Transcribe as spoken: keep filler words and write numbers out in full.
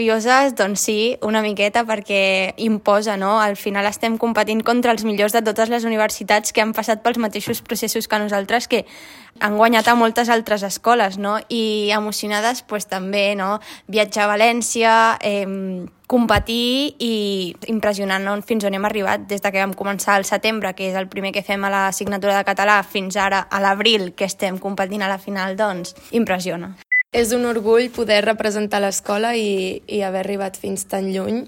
Curioses, doncs sí, una miqueta, perquè imposa, no? Al final estem competint contra els millors de totes les universitats que han passat pels mateixos processos que nosaltres, que han guanyat a moltes altres escoles, no? I emocionades, doncs també, no? Viatjar a València, eh, competir i impressionant, no? Fins on hem arribat des de que vam començar al setembre, que és el primer que fem a l'assignatura de català, fins ara a l'abril, que estem competint a la final, doncs impressiona. És un orgull poder representar l'escola i, i haver arribat fins tan lluny.